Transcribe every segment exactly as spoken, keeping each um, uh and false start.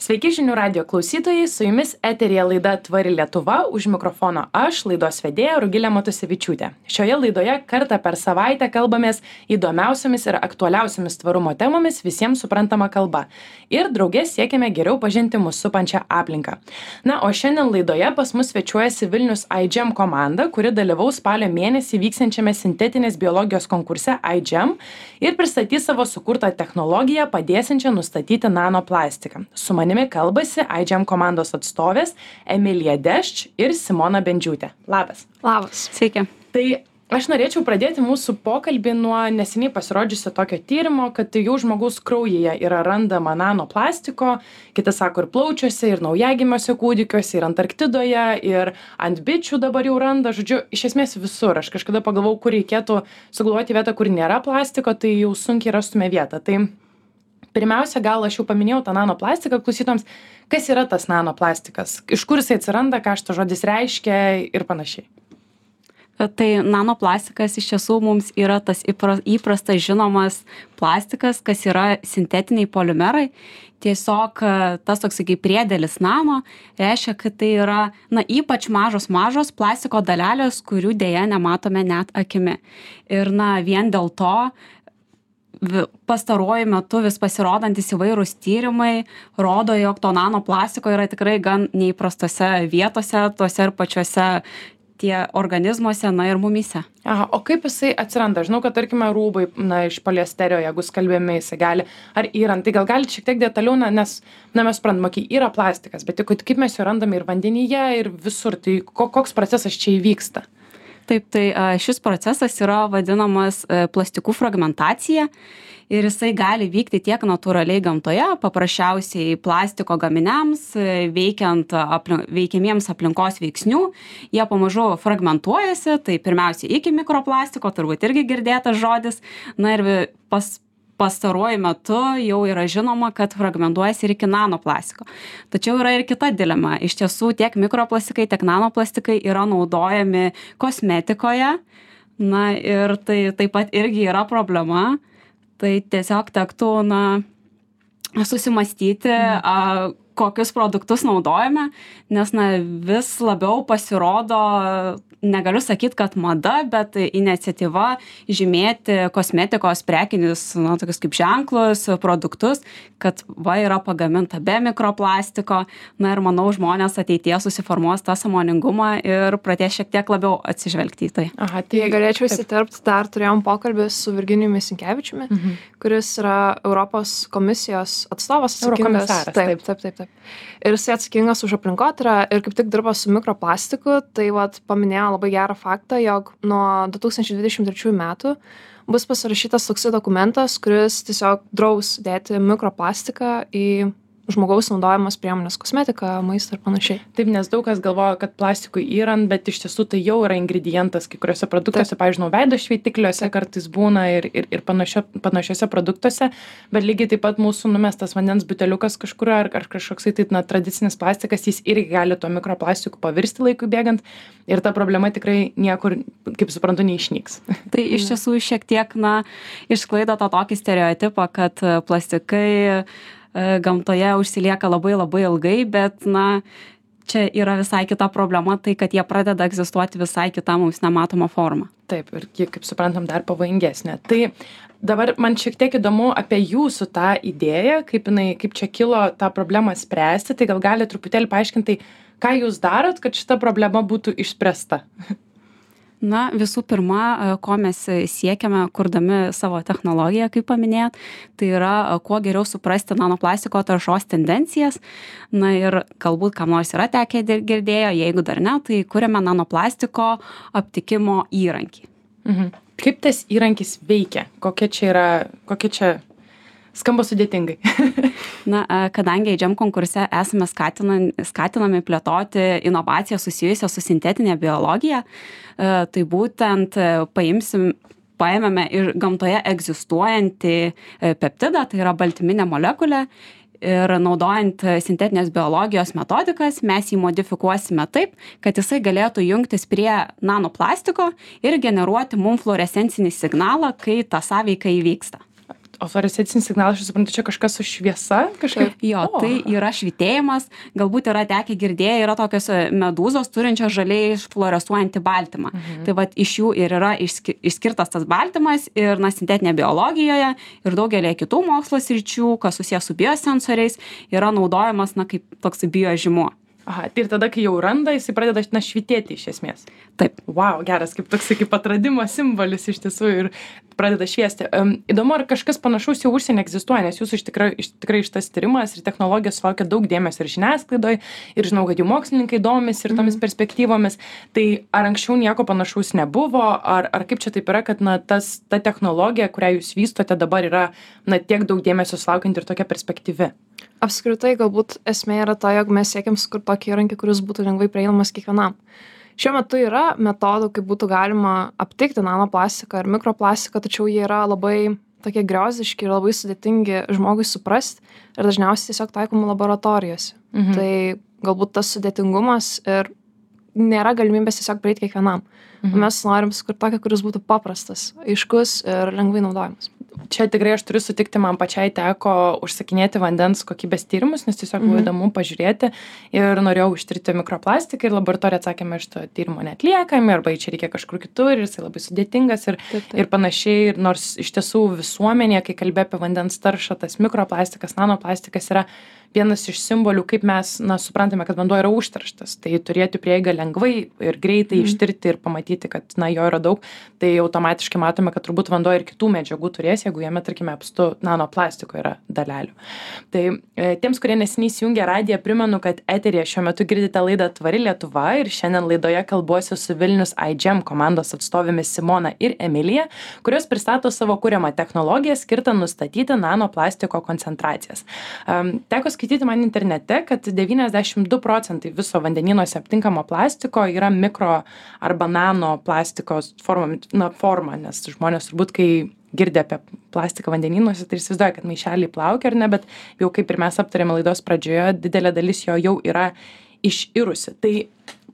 Sveiki žinių radio klausytojai, su jumis eteryje laida Tvari Lietuva, už mikrofono aš, laidos vedėja Rugilė Matusevičiūtė. Šioje laidoje kartą per savaitę kalbamės įdomiausiamis ir aktualiausiamis tvarumo temomis visiems suprantama kalba. Ir draugės siekiame geriau pažinti mus supančią aplinką. Na, o šiandien laidoje pas mus svečiuojasi Vilnius iGEM komanda, kuri dalyvaus spalio mėnesį vyksiančiame sintetinės biologijos konkurse iGEM ir pristatys savo sukurtą technologiją padėsiančią nustatyti nanoplastiką. Su manimi kalbasi iGEM komandos atstovės Emilija Dešč ir Simona Bendžiūtė. Labas. Labas. Sveiki. Tai aš norėčiau pradėti mūsų pokalbį nuo neseniai pasirodžiusio tokio tyrimo, kad jau žmogaus kraujyje yra randama nanoplastiko, kiti sako ir plaučiuose, ir naujagimiuose kūdikiuose, ir Antarktidoje, ir ant bičių dabar jau randa, žodžiu, iš esmės visur. Aš kažkada pagalvojau, kur reikėtų sugalvoti vietą, kur nėra plastiko, tai jau sunkiai rastume vietą. Tai pirmiausia, gal aš jau paminėjau tą nanoplastiką klausytojams, kas yra tas nanoplastikas, iš kur jisai atsiranda, ką šitas žodis reiškia ir panašiai. Tai nanoplastikas iš tiesų mums yra tas įprastas žinomas plastikas, kas yra sintetiniai polimerai. Tiesiog tas toks kaip priedėlis nano reiškia, kad tai yra na, ypač mažos mažos plastiko dalelės, kurių dėja nematome net akimi. Ir na, vien dėl to pastaruoju metu vis pasirodantis įvairūs tyrimai rodo, jog to nanoplastiko yra tikrai gan neįprastose vietose, tuose ir pačiuose tie organizmuose, na ir mumyse. Aha, o kaip jisai atsiranda? Žinau, kad tarkime rūbai, na, iš poliesterio, jeigu skalbėme jisai gali, ar yrant, tai gal galite šiek tiek detaliau, na, nes, na, mes suprantame, kai yra plastikas, bet kaip mes jo randame ir vandenyje, ir visur, tai koks procesas čia įvyksta? Taip, tai šis procesas yra vadinamas plastikų fragmentacija ir jisai gali vykti tiek natūraliai gamtoje, paprasčiausiai plastiko gaminiams, veikiant aplink, veikiamiems aplinkos veiksnių, jie pamažu fragmentuojasi, tai pirmiausia iki mikroplastiko, turbūt irgi girdėtas žodis, na ir pas pastaruoju metu jau yra žinoma, kad fragmentuojasi ir iki nanoplastiko. Tačiau yra ir kita dilema. Iš tiesų tiek mikroplastikai, tiek nanoplastikai yra naudojami kosmetikoje. Na ir tai taip pat irgi yra problema. Tai tiesiog tektų na, susimastyti, mhm. a, kokius produktus naudojame, nes na, vis labiau pasirodo, negaliu sakyti, kad mada, bet iniciatyva žymėti kosmetikos prekinius, na, tokius kaip ženklus, produktus, kad va yra pagaminta be mikroplastiko. Na ir manau, žmonės ateityje susiformuos tą sąmoningumą ir pradės šiek tiek labiau atsižvelgti į tai. Aha, tai galėčiau įsiterpti, dar turėjom pokalbį su Virginijumi Sinkevičiumi, mhm. kuris yra Europos komisijos atstovas. Eurokomisaras. Taip, taip, taip, taip. Ir jisai atsakingas už aplinkotyrą ir kaip tik dirba su mikroplastiku, tai vat paminėjo labai gerą faktą, jog nuo du tūkstančiai dvidešimt trečiųjų metų bus pasirašytas toksai dokumentas, kuris tiesiog draus dėti mikroplastiką į žmogaus naudojamas priemonės, kosmetika, maistą ir panašiai. Taip, nes daug kas galvoja, kad plastikui yrant, bet iš tiesų tai jau yra ingredientas kai kuriuose produktuose, pavyzdžiui, veido šveitikliuose kartais būna ir, ir, ir panašio, panašiuose produktuose, bet lygiai taip pat mūsų numestas vandens buteliukas kažkur ar, ar kažkoksai tai na, tradicinis plastikas, jis irgi gali to mikroplastiku pavirsti laikui bėgant ir ta problema tikrai niekur, kaip suprantu, neišnyks. Tai iš tiesų šiek tiek, na, išsklaido tą tokį stereotipą, kad plastikai gamtoje užsilieka labai labai ilgai, bet na, čia yra visai kita problema, tai kad jie pradeda egzistuoti visai kitą mums nematomą formą. Taip, ir kaip suprantam, dar pavojingesnė. Tai dabar man šiek tiek įdomu apie jūsų tą idėją, kaip, jinai, kaip čia kilo tą problemą spręsti, tai gal gali truputėlį paaiškinti, ką jūs darot, kad šita problema būtų išspręsta? Na, visų pirma, ko mes siekiame, kurdami savo technologiją, kaip paminėjot, tai yra kuo geriau suprasti nanoplastiko taršos tendencijas. Na ir galbūt kam nors yra tekę girdėjo, jeigu dar ne, tai kuriame nanoplastiko aptikimo įrankį. Mhm. Kaip tas įrankis veikia? Kokia čia yra, kokia čia skamba sudėtingai? Na, kadangi iGEM konkurse esame skatinami, skatinami plėtoti inovaciją susijusią su sintetinė biologija, tai būtent paimsim, paėmėme ir gamtoje egzistuojantį peptidą, tai yra baltyminė molekulė, ir naudojant sintetinės biologijos metodikas, mes jį modifikuosime taip, kad jisai galėtų jungtis prie nanoplastiko ir generuoti mum fluorescencinį signalą, kai ta sąveika įvyksta. O fluorescencinis signalas, aš suprantu, čia kažkas su šviesa? Kažkaip? Jo, O. tai yra švytėjimas, galbūt yra tekę girdėję, yra tokios medūzos turinčios žaliai fluorescuojantį baltymą. Mhm. Tai vat iš jų ir yra išski- išskirtas tas baltymas ir na, sintetinė biologijoje ir daugelį kitų mokslo sričių, kas susijęs su biosensoriais, yra naudojamas na, kaip toks biožymuo. Aha, tai ir tada, kai jau randa, jisai pradeda na, švytėti iš esmės. Taip. Wow, geras, kaip toks kaip atradimo simbolis iš tiesų ir pradeda šviesti. Um, įdomu, ar kažkas panašaus jau užsienį egzistuoja, nes jūsų iš tikrai, iš tikrai šitas tyrimas ir technologijos sulaukia daug dėmesio ir žiniasklaidoje, ir žinau, kad jų mokslininkai domisi ir tomis perspektyvomis. Tai ar anksčiau nieko panašaus nebuvo, ar, ar kaip čia taip yra, kad na, tas, ta technologija, kurią jūs vystote dabar yra na, tiek daug dėmesio sulaukianti ir tokia perspektyvi? Apskritai, galbūt esmė yra ta, jog mes siekiam sukurti tokį įrankį, kuris būtų lengvai prieinamas kiekvienam. Šiuo metu yra metodų, kaip būtų galima aptikti nanoplastiką ir mikroplastiką, tačiau jie yra labai tokie griozdiški ir labai sudėtingi žmogui suprasti ir dažniausiai tiesiog taikomi laboratorijose. Mhm. Tai galbūt tas sudėtingumas ir nėra galimybės tiesiog prieiti kiekvienam. Mhm. Mes norim sukurti tokį, kuris būtų paprastas, aiškus ir lengvai naudojamas. Čia tikrai aš turiu sutikti, man pačiai teko užsakinėti vandens kokybės tyrimus, nes tiesiog buvo įdomu pažiūrėti ir norėjau ištirti mikroplastiką ir laboratorija atsakė, mes šito tyrimo netliekame arba čia reikia kažkur kitur ir jisai labai sudėtingas ir, taip, taip. ir panašiai. Ir nors iš tiesų visuomenėje, kai kalbė apie vandens taršą, tas mikroplastikas, nanoplastikas yra vienas iš simbolių, kaip mes na, suprantame, kad vanduo yra užterštas. Tai turėti prieigą lengvai ir greitai mm. ištirti ir pamatyti, kad na, jo yra daug, tai automatiškai matome, kad turbūt vanduo ir kitų medžiagų turės, jeigu jame, tarkime, apstu nanoplastiko yra dalelių. Tai e, tiems, kurie neseniai įsijungė radiją, primenu, kad eteryje šiuo metu girdite laidą Tvari Lietuva ir šiandien laidoje kalbuosiu su Vilnius iGEM komandos atstovėmis Simona ir Emilija, kurios pristato savo kuriamą technologiją skirtą nustatyti nanoplastiko koncentracijas. Um, teko skaityti man internete, kad devyniasdešimt du procentai viso vandenynuose aptinkamo plastiko yra mikro arba nano plastikos forma, na, forma, nes žmonės turbūt, kai girdė apie plastiką vandenynuose, tai įsivaizduoja, kad maišeliai plaukia ar ne, bet jau kaip ir mes aptarėme laidos pradžioje, didelė dalis jo jau yra iširusi. Tai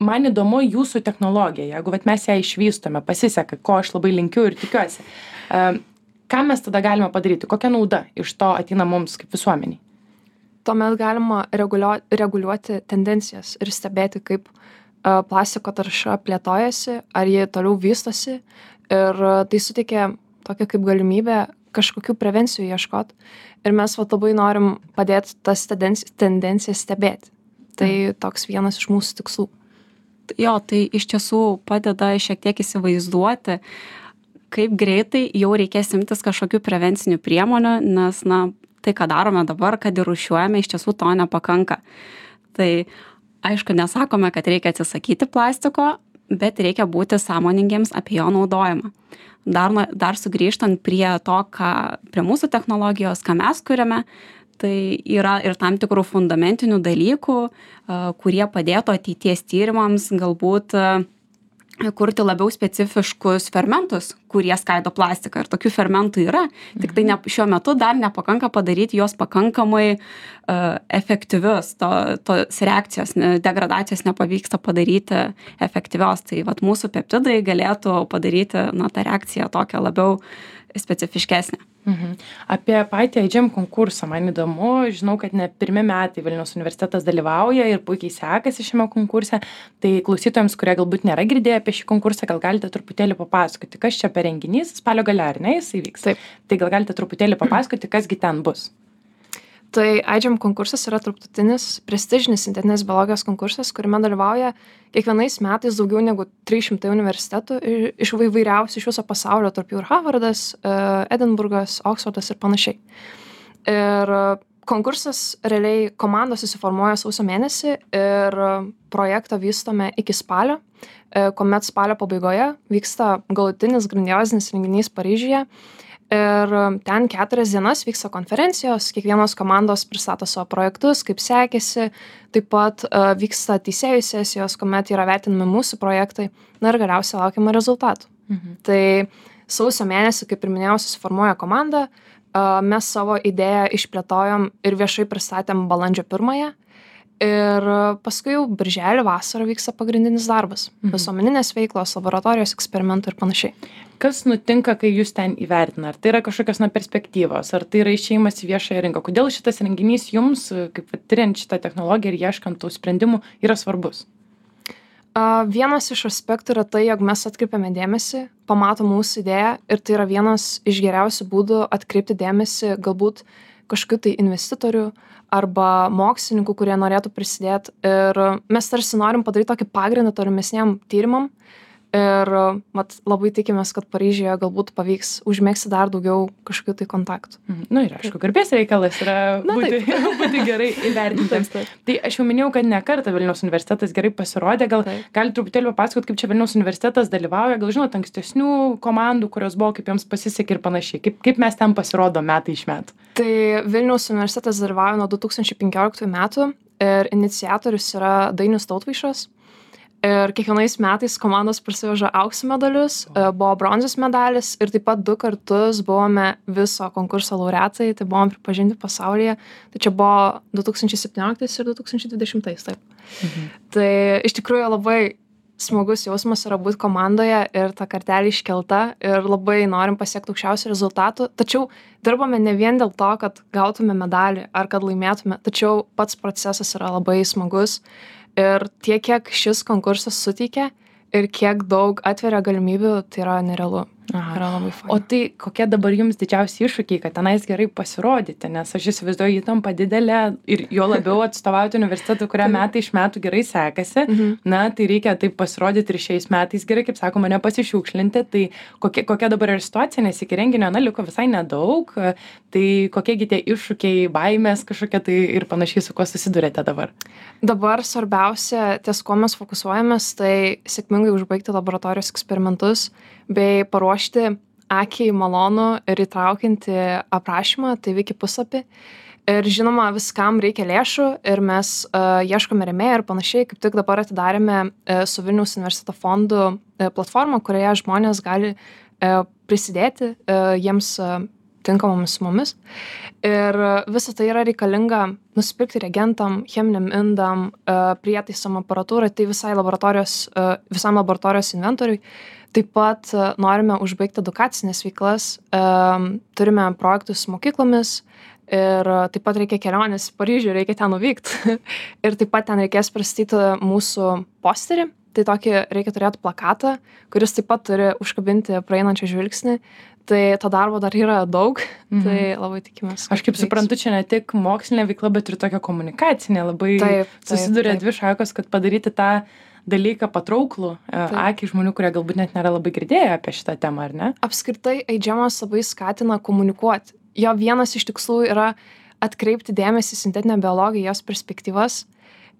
man įdomu jūsų technologija, jeigu vat, mes ją išvystome, pasiseka, ko aš labai linkiu ir tikiuosi. Ką mes tada galime padaryti? Kokia nauda iš to ateina mums kaip visuomeniai? Tuomet galima reguliuoti, reguliuoti tendencijas ir stebėti, kaip uh, plastiko tarša plėtojasi, ar jie toliau vystosi. Ir uh, tai suteikia tokią kaip galimybę kažkokių prevencijų ieškoti. Ir mes va, labai norim padėti tas tendencijas, tendencijas stebėti. Tai mm. toks vienas iš mūsų tikslų. Jo, tai iš tiesų padeda šiek tiek įsivaizduoti, kaip greitai jau reikės imtis kažkokių prevencinių priemonių, nes, na, tai, ką darome dabar, kad ir rūšiuojame, iš tiesų to nepakanka. Tai aišku, nesakome, kad reikia atsisakyti plastiko, bet reikia būti sąmoningiems apie jo naudojimą. Dar, dar sugrįžtant prie to, ką, prie mūsų technologijos, ką mes kuriame, tai yra ir tam tikrų fundamentinių dalykų, kurie padėtų ateities tyrimams galbūt kurti labiau specifiškus fermentus, kurie skaido plastiką. Ir tokių fermentų yra, tik tai ne, šiuo metu dar nepakanka padaryti jos pakankamai uh, efektyvius. To, tos reakcijos, degradacijos nepavyksta padaryti efektyvios. Tai vat, mūsų peptidai galėtų padaryti na, tą reakciją tokią labiau specifiškesnę. Mhm. Apie patį iGEM konkursą man įdomu, žinau, kad ne pirmi metai Vilniaus universitetas dalyvauja ir puikiai sekasi šiame konkurse, tai klausytojams, kurie galbūt nėra girdėję apie šį konkursą, gal galite truputėlį papasakoti, kas čia per renginys, spalio gale, ar ne, jis įvyks? Taip. Tai gal galite truputėlį papasakoti, kasgi ten bus? Tai iGEM konkursas yra tarptautinis prestižinis sintetinės biologijos konkursas, kuriame dalyvauja kiekvienais metais daugiau negu trys šimtai universitetų iš įvairiausių iš viso pasaulio, tarp jų ir Harvardas, Edinburgas, Oksfordas ir panašiai. Ir konkursas realiai komandos susiformuoja sausio mėnesį ir projektą vystome iki spalio, kuomet spalio pabaigoje vyksta galutinis grandiozinis renginys Paryžiuje. Ir ten keturias dienas vyksta konferencijos, kiekvienos komandos pristato savo projektus, kaip sekėsi, taip pat uh, vyksta teisėjų sesijos, kuomet yra vertinami mūsų projektai, na ir galiausiai laukiama rezultatų. Mhm. Tai sausio mėnesį, kaip ir minėjau, susiformuoja komanda, uh, mes savo idėją išplėtojom ir viešai pristatėm balandžio pirmąją Ir paskui jau birželį vasarą vyksta pagrindinis darbas. Mhm. Visuomeninės veiklos, laboratorijos, eksperimentų ir panašiai. Kas nutinka, kai jūs ten įvertina? Ar tai yra kažkokios na, perspektyvos, ar tai yra išėjimas į viešąją rinką? Kodėl šitas renginys jums, kaip tyriant šitą technologiją ir ieškant tų sprendimų, yra svarbus? Uh, vienas iš aspektų yra tai, jog mes atkreipiame dėmesį, pamatom mūsų idėją ir tai yra vienas iš geriausių būdų atkreipti dėmesį galbūt kažkokių tai investitorių arba mokslininkų, kurie norėtų prisidėti. Ir mes tarsi norim padaryti tokį pagrindą tolimesniam tyrimam. Ir mat, labai tikimės, kad Paryžiuje galbūt pavyks užmėgsti dar daugiau kažkokių tai kontaktų. Na nu, ir aišku, garbės reikalas yra Na, būti, būti gerai įvertintiems. Tai aš jau minėjau, kad ne kartą Vilniaus universitetas gerai pasirodė. Gal gali truputėlį papasakot, kaip čia Vilniaus universitetas dalyvauja, gal žinot ankstesnių komandų, kurios buvo, kaip jiems pasisekė ir panašiai. Kaip, kaip mes ten pasirodo metai iš metų? Tai Vilniaus universitetas dalyvauja nuo du tūkstančiai penkioliktųjų metų ir iniciatorius yra Dainius Tautvaišas. Ir kiekvienais metais komandos parsiveža aukso medalius, buvo bronzos medalis ir taip pat du kartus buvome viso konkurso laureatai, tai buvom pripažinti pasaulyje. Tai čia buvo du tūkstančiai septynioliktais ir du tūkstančiai dvidešimtais. Taip. Mhm. Tai iš tikrųjų labai smagus jausmas yra būti komandoje ir ta kartelė iškelta ir labai norim pasiekti aukščiausių rezultatų. Tačiau dirbame ne vien dėl to, kad gautume medalį ar kad laimėtume, tačiau pats procesas yra labai smagus. Ir tiek, kiek šis konkursas suteikia ir kiek daug atveria galimybių, tai yra nerealu. Aha. Yra labai faina. O tai kokie dabar jums didžiausi iššūkiai, kad tenais gerai pasirodyti, nes aš įsivaizduoju įtampa didelė ir jo labiau atstovauti universitetui, kurią metai iš metų gerai sekasi, Mhm. na, tai reikia taip pasirodyti ir šiais metais gerai, kaip sakoma, nepasišiukšlinti, tai kokia, kokia dabar yra situacija, nes iki renginio, na, liko visai nedaug, tai kokiegi tie iššūkiai, baimės kažkokie tai ir panašiai, su kuo susidurėte dabar? Dabar svarbiausia, ties kuo mes fokusuojamės, tai sėkmingai užbaigti laboratorijos eksperimentus bei paruošti akiai malonų ir įtraukiantį aprašymą, tai Wiki puslapį. Ir žinoma, viskam reikia lėšų ir mes uh, ieškome rėmėjų ir panašiai. Kaip tik dabar atidarėme uh, su Vilniaus universiteto fondu uh, platformą, kurioje žmonės gali uh, prisidėti uh, jiems uh, tinkamomis sumomis. Ir visa tai yra reikalinga nusipirkti reagentam, cheminiam indam, uh, prietaisom aparatūrai, tai visai laboratorijos, uh, visam laboratorijos inventoriui. Taip pat uh, norime užbaigti edukacinės veiklas, um, turime projektus su mokyklomis ir uh, taip pat reikia kelionės į Paryžių, reikia ten nuvykti. Ir taip pat ten reikės pristatyti mūsų posterį, tai tokį reikia turėti plakatą, kuris taip pat turi užkabinti praeinančią žvilgsnį. Tai to darbo dar yra daug, mhm. tai labai tikimės. Aš kaip suprantu, čia ne tik mokslinė veikla, bet ir tokia komunikacinė. Labai taip, taip, susiduria taip. Dvi šakos, kad padaryti tą dalyką patrauklų akiai žmonių, kurie galbūt net nėra labai girdėję apie šitą temą, ar ne? Apskritai, eidžiamas labai skatina komunikuoti. Jo vienas iš tikslų yra atkreipti dėmesį į sintetinę biologiją, jos perspektyvas.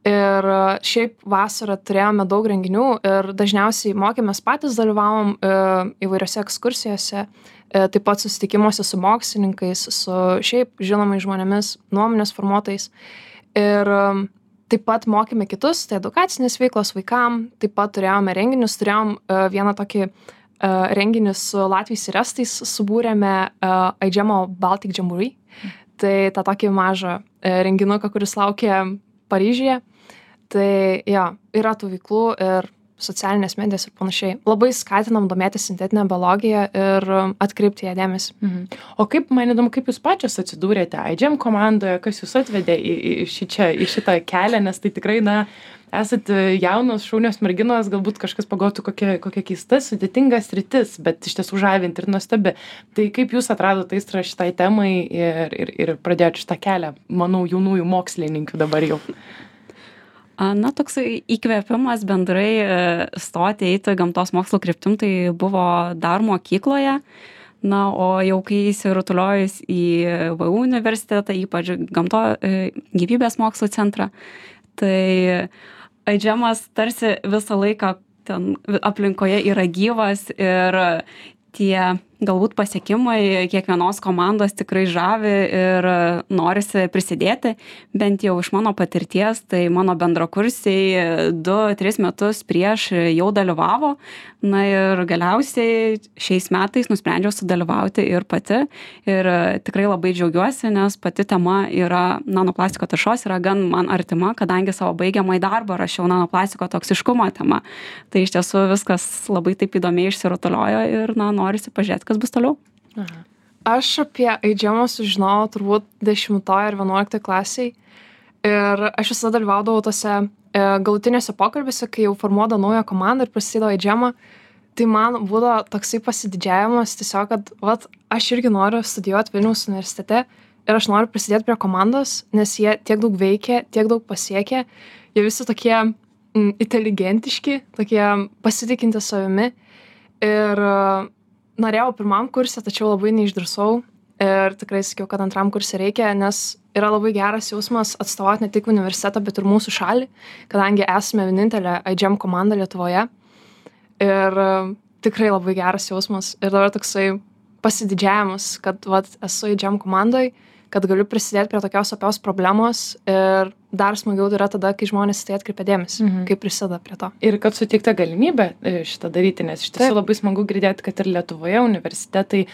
Ir šiaip vasarą turėjome daug renginių ir dažniausiai mokėmės patys, dalyvavom įvairiose ekskursijose, taip pat susitikimuose su mokslininkais, su šiaip žinomais žmonėmis, nuomonės formuotojais. Ir taip pat mokėme kitus, tai edukacinės veiklos vaikam, taip pat turėjome renginius, turėjom vieną tokį renginį su Latviais ir Estais, subūrėme Aidžiamo Baltic Jamboree, tai tą tokį mažą renginuką, kuris laukia Paryžiuje. Tai jo, yra tų veiklų ir socialinės medijos ir panašiai. Labai skatinam domėtis sintetinę biologiją ir atkreipti ją dėmesį. Mhm. O kaip, man įdomu, kaip jūs pačios atsidūrėte Aidžiam komandoje, kas jūs atvedė į, į, šičia, į šitą kelią, nes tai tikrai, na, esat jaunos, šaunios merginos, galbūt kažkas pagalvotų kokia, kokia keista, sudėtinga sritis, bet iš tiesų žavinti ir nuostabi. Tai kaip jūs atradote aistrą šitai temai ir, ir, ir pradėjote šitą kelią, manau, jaunųjų mokslininkių dabar jau? Na, toksai įkvėpimas bendrai stoti, eiti gamtos mokslo kryptim, tai buvo dar mokykloje. Na, o jau kai įsirutuliojus į V U universitetą, ypač gamto gyvybės mokslo centrą, tai Aidžiamas tarsi visą laiką ten aplinkoje yra gyvas ir tie galbūt pasiekimai kiekvienos komandos tikrai žavi ir norisi prisidėti, bent jau iš mano patirties, tai mano bendrakursiai du tris metus prieš jau dalyvavo, na ir galiausiai šiais metais nusprendžiau sudalyvauti ir pati ir tikrai labai džiaugiuosi, nes pati tema yra nanoplastiko taršos, yra gan man artima, kadangi savo baigiamąjį darbą rašiau nanoplastiko toksiškumo tema. Tai iš tiesų viskas labai taip įdomiai išsirutuliojo ir na, norisi pažiūrėti, kas bus toliau. Aha. Aš apie eidžiamą sužinojau turbūt dešimtoje ir vienuoliktoje klasiai ir aš visada dalyvaudavau tose galutinėse pokalbėse, kai jau formuodavo naują komandą ir prasidėjo eidžiamą, tai man būdavo toksai pasididžiavimas tiesiog, kad vat, aš irgi noriu studijuoti Vilniaus universitete ir aš noriu prisidėti prie komandos, nes jie tiek daug veikia, tiek daug pasiekė, jie visi tokie mm, inteligentiški, tokie pasitikinti savimi ir norėjau pirmam kurse, tačiau labai neišdrįsau ir tikrai sakiau, kad antram kurse reikia, nes yra labai geras jausmas atstovauti ne tik universitetą, bet ir mūsų šalį, kadangi esame vienintelė I G E M komanda Lietuvoje. Ir tikrai labai geras jausmas. Ir dabar toksai pasididžiavimas, kad vat, esu I G E M komandai, kad galiu prisidėti prie tokios opios problemos ir dar smagiau yra tada, kai žmonės tai atkreipia dėmesį, mhm. kaip prisideda prie to. Ir kad suteikta galimybė šitą daryti, nes iš tiesų labai smagu girdėti, kad ir Lietuvoje universitetai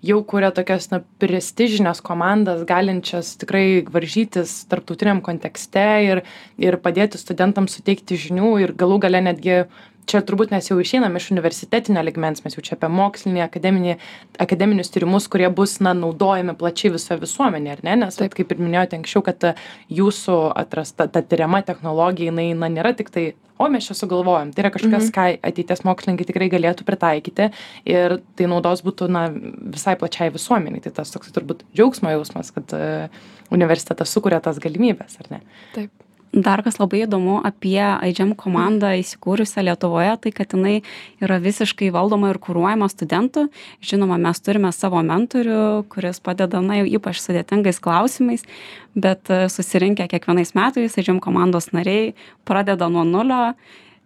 jau kuria tokias na, prestižinės komandas, galinčias tikrai varžytis tarptautiniam kontekste ir, ir padėti studentams suteikti žinių ir galų gale netgi čia turbūt mes jau išeinam iš universitetinio ligmens, mes jau čia apie mokslinį, akademinį, akademinius tyrimus, kurie bus na, naudojami plačiai visoje visuomenėje, ar ne? Nes taip, kaip ir minėjote anksčiau, kad jūsų atrasta ta tyriama technologija, jinai na, nėra tik tai, o mes čia sugalvojom, tai yra kažkas, mhm. ką ateities mokslininkai tikrai galėtų pritaikyti ir tai naudos būtų na, visai plačiai visuomeniai. Tai tas toks turbūt džiaugsmo jausmas, kad uh, universitetas sukuria tas galimybės, ar ne? Taip. Dar kas labai įdomu apie I G E M komandą įsikūrusią Lietuvoje, tai kad jinai yra visiškai valdoma ir kuruojama studentų. Žinoma, mes turime savo mentorių, kuris padeda, na, jau ypač sudėtingais klausimais, bet susirinkę kiekvienais metais I G E M komandos nariai pradeda nuo nulio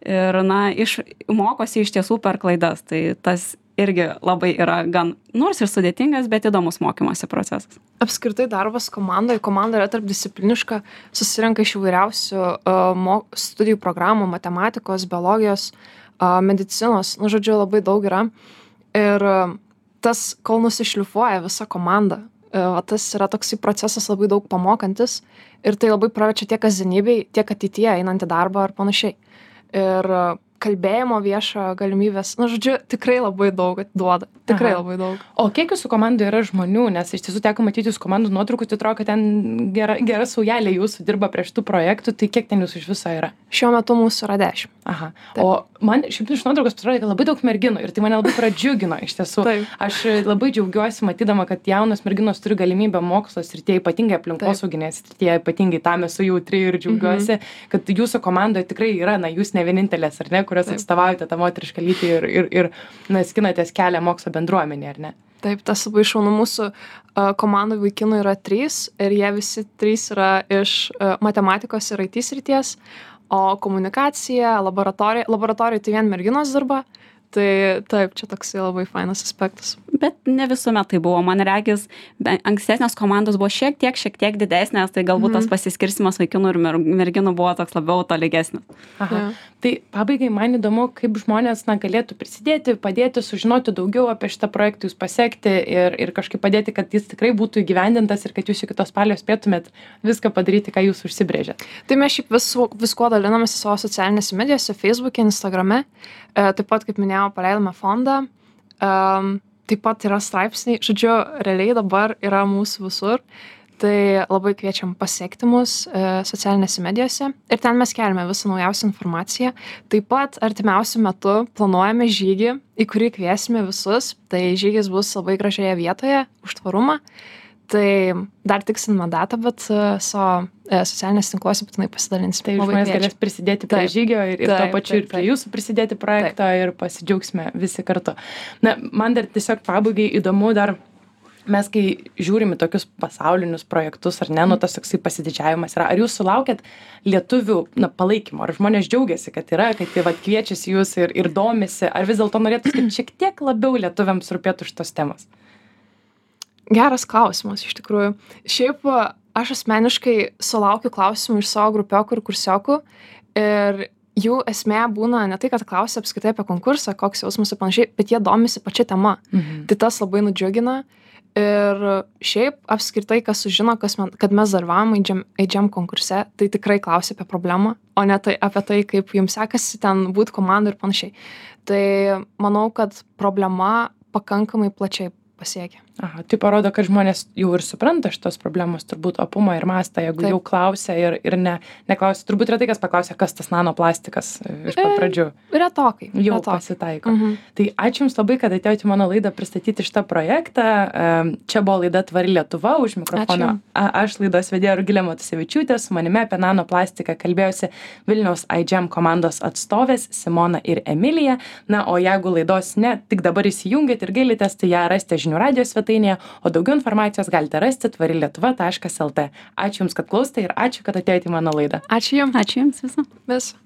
ir, na, iš, mokosi iš tiesų per klaidas. Tai tas irgi labai yra gan, nors ir sudėtingas, bet įdomus mokymosi procesas. Apskritai darbas komandoje, komanda yra tarpdiscipliniška, susirenka iš įvairiausių uh, studijų programų, matematikos, biologijos, uh, medicinos, nu, žodžiu, labai daug yra. Ir uh, tas, kol nusišlifuoja visa komanda, uh, tas yra toksai procesas labai daug pamokantis ir tai labai praverčia tiek kasdienybei, tiek ateityje einant į darbą ar panašiai. Ir uh, kalbėjimo viešo galimybės, nu, žodžiu, tikrai labai daug duoda. Tikrai Aha. labai daug. O kiek jūsų komandoje yra žmonių, nes iš tiesų teko matyti jūsų komandų nuotraukų, tai atrodo, kad ten gera, gera saujelė jūsų dirba prie šitų projektų, tai kiek ten jūsų iš viso yra? Šiuo metu mūsų yra dešimt. Aha. Taip. O man šiaip iš nuotraukos pasirodė, kad labai daug merginų ir tai mane labai pradžiugino iš tiesų. Taip. Aš labai džiaugiuosi matydama, kad jaunos merginos turi galimybę mokslo srityje, ypatingai aplinkosauginės srityje, ypatingai tam esu jautri ir džiaugiuosi, mhm. kad jūsų komandoje tikrai yra, na, jūs ne vienintelės, ar ne, kurios atstovaujate tą moterišką lytį ir, ir, ir na, skinatės kelią mokslo bendruomenė, ar ne? Taip, tas labai šaunu. Mūsų uh, komandų vaikinų yra trys ir jie visi trys yra iš uh, matematikos ir I T srities, o komunikacija, laboratorija, laboratorija tai vien merginos dirba. Tai taip, čia toksai labai fainas aspektas. Bet ne visuomet tai buvo. Man regis, ankstesnės komandos buvo šiek tiek, šiek tiek didesnės, tai galbūt mm. tas pasiskirstimas vaikinų ir merginų buvo toks labiau tolygesnis. Aha. Ja. Tai pabaigai man įdomu, kaip žmonės na, galėtų prisidėti, padėti, sužinoti daugiau apie šitą projektą, jūs pasiekti ir, ir kažkaip padėti, kad jis tikrai būtų įgyvendintas ir kad jūs iki tos spalio spėtumėt viską padaryti, ką jūs užsibrėžėt. Tai mes šiaip vis, visko dalinamės savo socialinėse medijose, Facebook'e, Instagram'e. E, taip pat, kaip minėjau, paleidome fondą. Um, taip pat yra straipsniai. Žodžiu, realiai dabar yra mūsų visur. Tai labai kviečiam pasiekti mus e, socialinėse medijose ir ten mes keliame visą naujausią informaciją. Taip pat artimiausiu metu planuojame žygį, į kurį kviesime visus. Tai žygis bus labai gražioje vietoje, už tvarumą. Tai dar tiksliname datą, bet uh, savo uh, socialinės tinkluose būtinai pasidalinsime. Tai žmonės galės prisidėti prie taip, žygio ir, ir taip, to pačiu taip, ir prie taip. Jūsų prisidėti projektą taip. Ir pasidžiaugsime visi kartu. Na, man dar tiesiog pabaigai įdomu dar mes kai žiūrim į tokius pasaulinius projektus, ar ne, nu tas toksai pasididžiavimas yra, ar jūs sulaukėt lietuvių na, palaikymo, ar žmonės džiaugiasi, kad yra, kad jie vat, kviečiasi jūs ir, ir domisi, ar vis dėlto norėtų, kad šiek tiek labiau lietuviams rūpėtų šitos temos? Geras klausimas, iš tikrųjų. Šiaip aš asmeniškai sulaukiu klausimų iš savo grupiokų ir kursiokų ir jų esmė būna ne tai, kad klausia apskritai apie konkursą, koks jausmas ir panašiai, bet jie domisi pačia tema. Mhm. Tai tas labai nudžiugina. Ir šiaip apskritai, kas sužino, kas man, kad mes dalyvavom A G E M konkurse, tai tikrai klausia apie problemą, o ne tai, apie tai, kaip jums sekasi ten būti komandai ir panašiai. Tai manau, kad problema pakankamai plačiai pasiekia. Aha, tai parodo, kad žmonės jau ir supranta šitos problemos, turbūt opumą ir mastą, jeigu Taip. Jau klausia ir, ir ne, neklausia. Turbūt retai kas paklausia, kas tas nanoplastikas iš pat pradžių. E, retokai. Jau retokai. Pasitaiko. Mhm. Tai ačiū Jums labai, kad atėjote į mano laidą pristatyti šitą projektą. Čia buvo laida Tvari Lietuva, už mikrofono. A, aš laidos vedėja Rugilė Matusevičiūtė, su manimi apie nanoplastiką kalbėjusi Vilniaus A G E M komandos atstovės Simona ir Emilija. Na, o jeigu laidos ne, tik dabar įsijungėt ir gailitės, tai ją rasite žinių radijo svetainėje, o daugiau informacijos galite rasti tvari lietuva taškas lt. Ačiū Jums, kad klausėte ir ačiū, kad atėjote į mano laidą. Ačiū Jums. Ačiū Jums visą. Visą.